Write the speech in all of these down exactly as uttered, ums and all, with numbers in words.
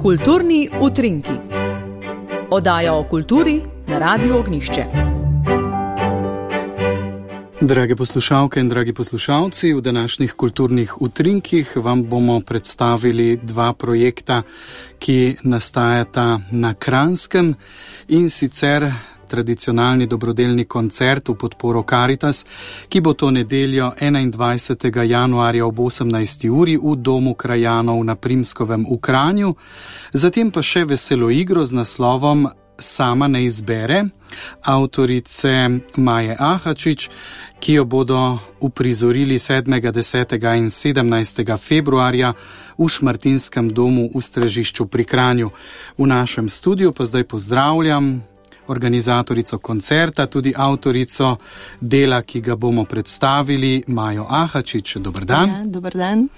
Kulturni utrinki. Oddaja o kulturi na Radiu Ognjišče. Drage poslušalke in dragi poslušalci, v današnjih kulturnih utrinkih vam bomo predstavili dva projekta, ki nastajata na Kranjskem, in sicer tradicionalni dobrodelni koncert v podporo Karitas, ki bo to nedeljo enaindvajsetega januarja ob osemnajsti uri v Domu krajanov na Primskovem v Kranju, zatem pa še veselo igro z naslovom Sama ne izbere, avtorice Maje Ahačič, ki jo bodo uprizorili sedmega, desetega in sedemnajstega februarja v Šmartinskem domu v Stražišču pri Kranju. V našem studiu pa zdaj pozdravljam organizatorico koncerta, tudi avtorico dela, ki ga bomo predstavili, Majo Ahačič. Dober dan. Ja, dober dan.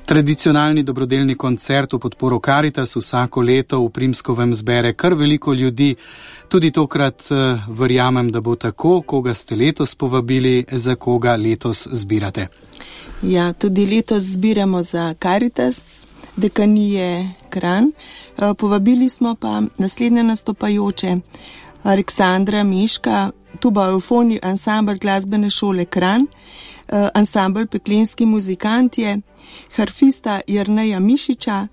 Tradicionalni dobrodelni koncert v podporo Karitas vsako leto v Primskovem zbere kar veliko ljudi. Tudi tokrat verjamem, da bo tako. Koga ste letos povabili, za koga letos zbirate? Ja, tudi letos zbiramo za Karitas, dekanije Kranj. Povabili smo pa naslednje nastopajoče: Aleksandra Meška, tuba Eufoni ansambl glasbene šole Kranj, ansambl Peklenski muzikantje, harfista Jerneja Mišiča,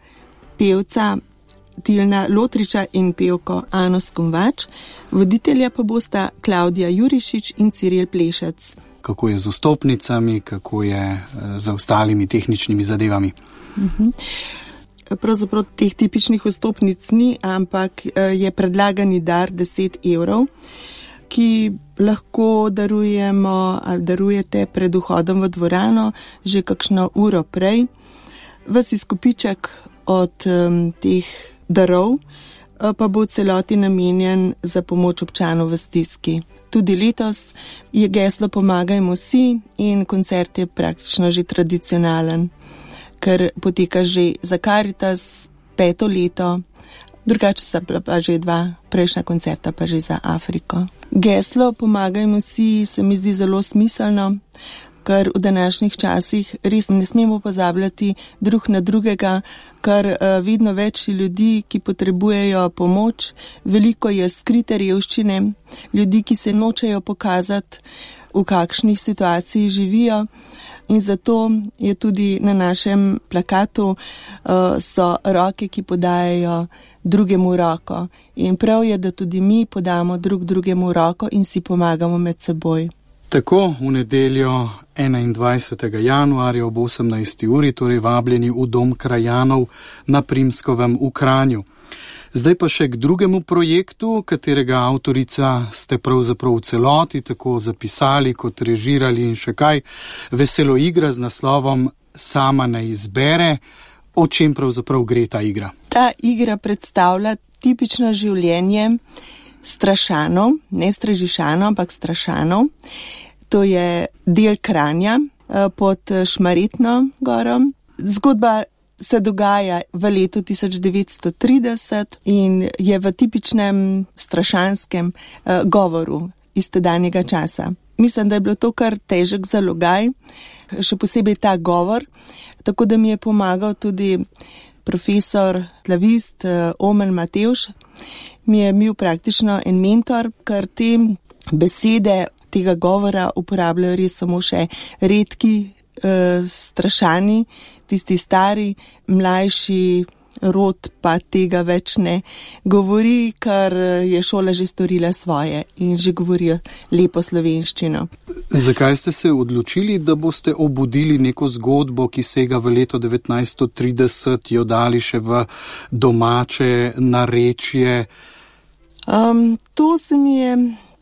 pevca Tilna Lotriča in pevko Ano Skomvač, voditelja pa bosta Klavdija Jurišič in Ciril Plešec. Kako je z vstopnicami, kako je z ostalimi tehničnimi zadevami? Uh-huh. Pravzaprav teh tipičnih vstopnic ni, ampak je predlagani dar deset evrov, ki lahko darujemo ali darujete pred vhodom v dvorano že kakšno uro prej. Ves izkupiček od um, teh darov pa bo v celoti namenjen za pomoč občanov v stiski. Tudi letos je geslo Pomagajmo si in koncert je praktično že tradicionalen, ker poteka že za Karitas peto leto, drugače sta pa že dva prejšnja koncerta pa že za Afriko. Geslo Pomagajmo si se mi zdi zelo smiselno, ker v današnjih časih res ne smemo pozabljati drug na drugega, ker vedno več ljudi, ki potrebujejo pomoč, veliko je skrite revščine, ljudi, ki se nočejo pokazati, v kakšnih situaciji živijo. In zato je tudi na našem plakatu uh, so roke, ki podajajo drugemu roko. In prav je, da tudi mi podamo drug drugemu roko in si pomagamo med seboj. Tako, v nedeljo enaindvajsetega januarja ob osemnajsti uri, torej vabljeni v Dom krajanov na Primskovem v Kranju. Zdaj pa še k drugemu projektu, katerega avtorica ste pravzaprav v celoti tako zapisali kot režirali in še kaj. Veselo igra z naslovom Sama ne izbere. O čem pravzaprav gre ta igra? Ta igra predstavlja tipično življenje Strašanov, ne Stražišanov, ampak Strašanov. To je del Kranja pod Šmarjetno gorom. Zgodba se dogaja v letu tisoč devetsto trideset in je v tipičnem strašanskem uh, govoru iz tedanjega časa. Mislim, da je bilo to kar težek zalogaj, še posebej ta govor, tako da mi je pomagal tudi profesor, slavist uh, Omen Matevž. Mi je bil praktično en mentor, ker te besede tega govora uporabljajo res samo še redki strašani, tisti stari, mlajši rod pa tega več ne govori, ker je šola že storila svoje in že govorijo lepo slovenščino. Zakaj ste se odločili, da boste obudili neko zgodbo, ki sega v leto devetnajststo trideset, jo dali še v domače narečje? Um, to se mi je...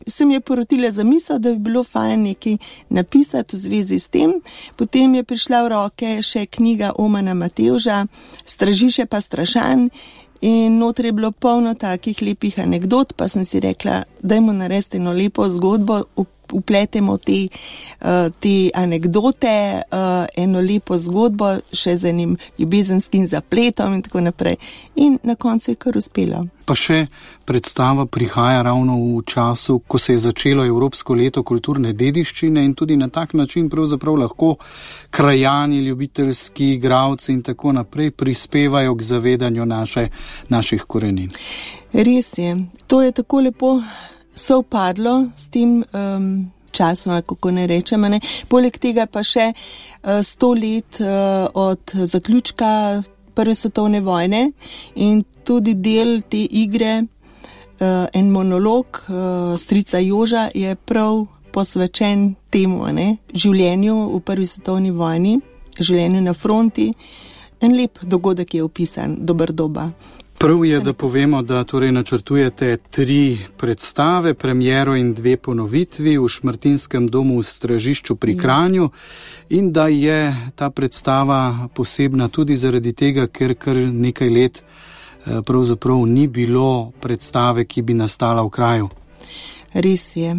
se mi je porotila zamisel, da bi bilo fajn nekaj napisati v zvezi s tem. Potem je prišla v roke še knjiga Omena Matevža, Stražiše pa strašan, in noter je bilo polno takih lepih anegdot, pa sem si rekla, dajmo narediti eno lepo zgodbo, v upletemo te, te anekdote, eno lepo zgodbo, še z enim ljubezenskim zapletom in tako naprej. In na koncu je kar uspelo. Pa še predstava prihaja ravno v času, ko se je začelo Evropsko leto kulturne dediščine in tudi na tak način pravzaprav lahko krajani, ljubiteljski igralci in tako naprej prispevajo k zavedanju naše, naših korenin. Res je. To je tako lepo sovpadlo s tem um, časom, kako ne rečem. Ne? Poleg tega pa še uh, sto let uh, od zaključka Prve svetovne vojne in tudi del te igre, uh, en monolog uh, strica Joža je prav posvečen temu, ne? Življenju v Prvi svetovni vojni, življenju na fronti. En lep dogodek je opisan, dober doba. Prav je, da povemo, da torej načrtujete tri predstave, premiero in dve ponovitvi v Šmartinskem domu v Stražišču pri Kranju in da je ta predstava posebna tudi zaradi tega, ker kar nekaj let pravzaprav ni bilo predstave, ki bi nastala v kraju. Res je.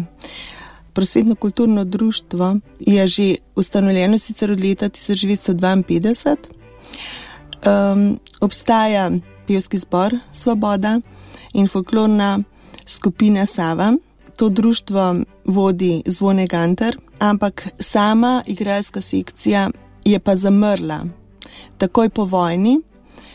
Prosvetno kulturno društvo je že ustanovljeno sicer od leta tisoč devetsto dvainpetdeset. Um, obstaja pevski zbor Svoboda in folklorna skupina Sava. To društvo vodi Zvone Gantar, ampak sama igralska sekcija je pa zamrla. Takoj po vojni.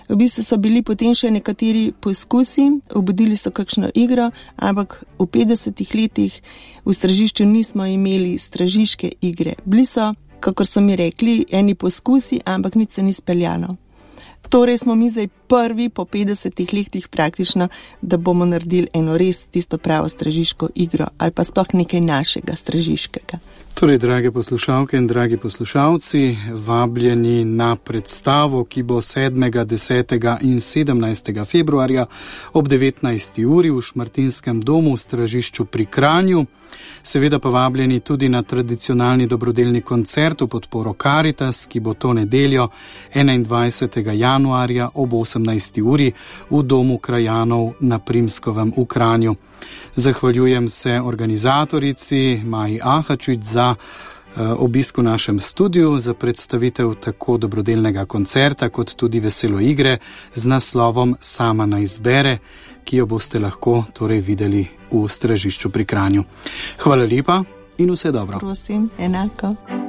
V bistvu so bili potem še nekateri poskusi, obudili so kakšno igro, ampak v petdesetih letih v Stražišču nismo imeli stražiške igre. Bili so, kakor so mi rekli, eni poskusi, ampak nič se ni speljalo. Torej smo mi zdaj prvi po petdesetih letih praktično, da bomo naredili eno res tisto pravo stražiško igro ali pa sploh nekaj našega stražiškega. Torej, drage poslušalke in dragi poslušalci, vabljeni na predstavo, ki bo sedmega, desetega in sedemnajstega februarja ob devetnajsti uri v Šmartinskem domu v Stražišču pri Kranju. Seveda pa vabljeni tudi na tradicionalni dobrodelni koncert v podporo Karitas, ki bo to nedeljo enaindvajsetega januarja ob osemnajsti uri v Domu krajanov na Primskovem v Kranju. Zahvaljujem se organizatorici Maji Ahačič za obisk v našem studiu, za predstavitev tako dobrodelnega koncerta kot tudi veselo igre z naslovom Sama naj izbere, ki jo boste lahko torej videli v Stražišču pri Kranju. Hvala lepa in vse dobro. Prosim, enako.